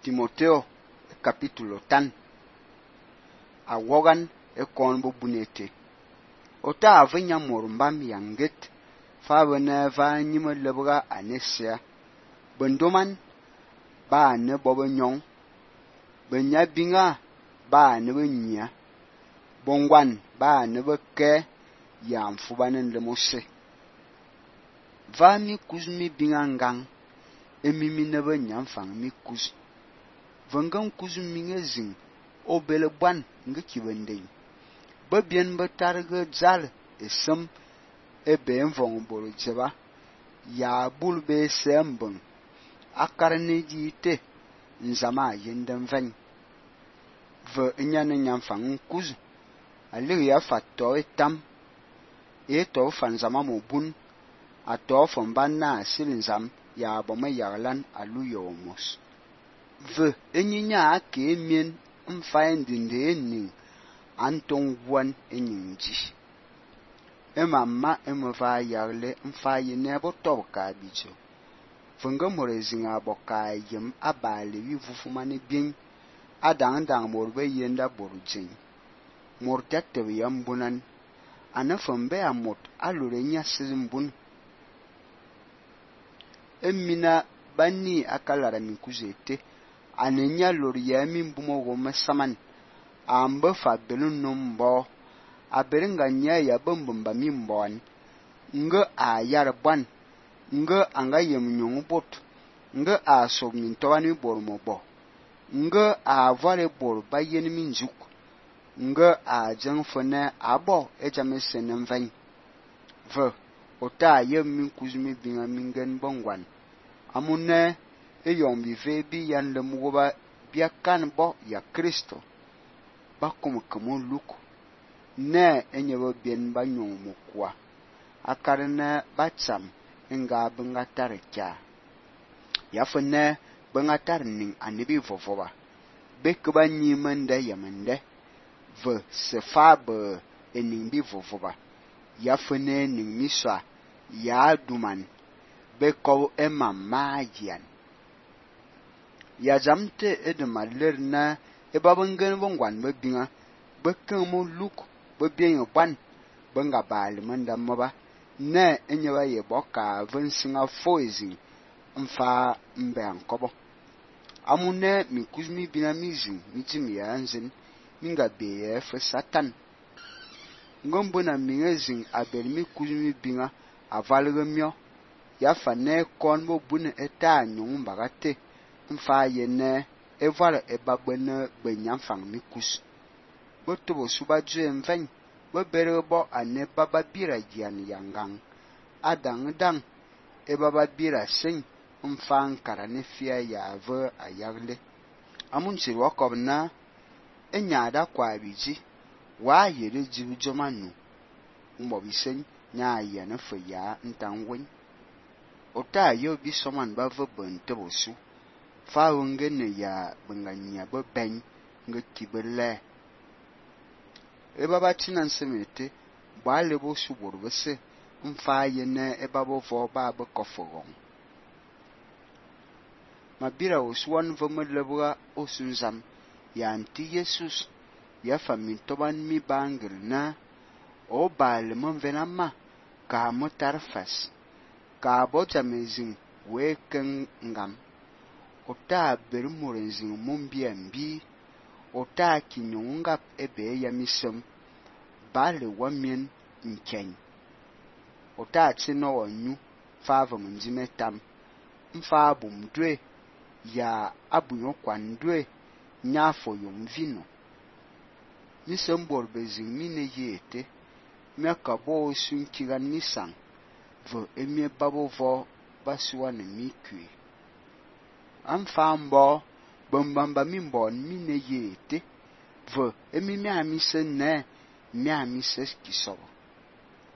Timoteo capítulo tan awogan kon bo bunete ota avanya morumbam yanget fa bana va nyima lebra anesia bendoman ba ne bobo nyong benya binga ba ne benya bongwan ba ne beke ya mfubanen le mose va mi kuzmi binga ngang emimi ne benya mfang mi kuz vangan kuzmi ngezing obele bwan ngekibendei babien batarga zal esem ebe mvong boro jeba ya bulbe sembeng akarne jite nzama yendem ven ve nyane nyamfang kuz ali ya fatto etam eto fanzama mobun ato fombanna silinzam ya boma yarlan aluyomos ve enyinya ake mien mfaendinde eni anton wan enyinji emamma emva yarle mfaye nebo toka bijo funga morezinga boka yem abale wi vufumane bin adang morbe yenda borujin mortatte yambunan anafambe amot alure nya simbun emina bani akalara mi kuzete anenya loriya min bumo goma saman amba fa belun numbo aberinga nya ya bambamba min bon nga a yarban nga anga yemnyong bot nga a sognin towani bormo bo nga a vale bor bayen min juk nga a jangfone abo ejamesen van ve ota yem min kuzmi binga mingen bongwan amune eyom bi ve bi yan le mugoba biakan bo ya Kristo bakum kamo luk ne enyebo bien banyong mukwa akarne batsam nga bengatar kya yafne bengatar ning anibi vovoba bekba nyimende yamende ve sefabe ening bi vovoba yafne ning miswa ya duman beko emama yan ya jamte edemaler na ebabengen bongwan bebinga bekamo luk bebien ban benga bal manda moba ne enyeba ye boka vensinga foezi mfa mbe ankobo amune mi kuzmi binamizin mitimi yanzin minga beye fe satan ngombo na mingezin abelmi kuzmi binga avalgemyo ya fane kon bo bune eta nyung bagate mfa yene eval ebabene benyamfang mikus botobo suba jue mven boberebo ane baba bira jian yangang adang dang ebaba bira sing mfang karane fia ya ve ayagle amunchi wakobna enyada kwa biji wa yere jibu jomanu mbobisen nya yana fe ya ntangwen ota yo bi soman ba ve bentebo su fa wongene ya banganya bo ben ngekibele ebaba tinan semete ba lebo su borbese mfa yene ebabo vo ba be kofogon mabira oswan vomelebwa osunzam ya anti Jesus ya famin toban mi bangir na o bal monvenama ka motarfas ka bojamezin weken ngam ota bermorenzin mombiambi ota kinyungap ebe yamisem bale wamien nkeng ota tsino onyu fava munjimetam mfa bumdwe ya abunyo kwandwe nyafo yomvino nisembor bezin mine yete miakabo sunkigan nisang vo emie babo vo baswa ne mikui amfambo bombamba mimbon mine yete vo emi miamise ne miamise kisobo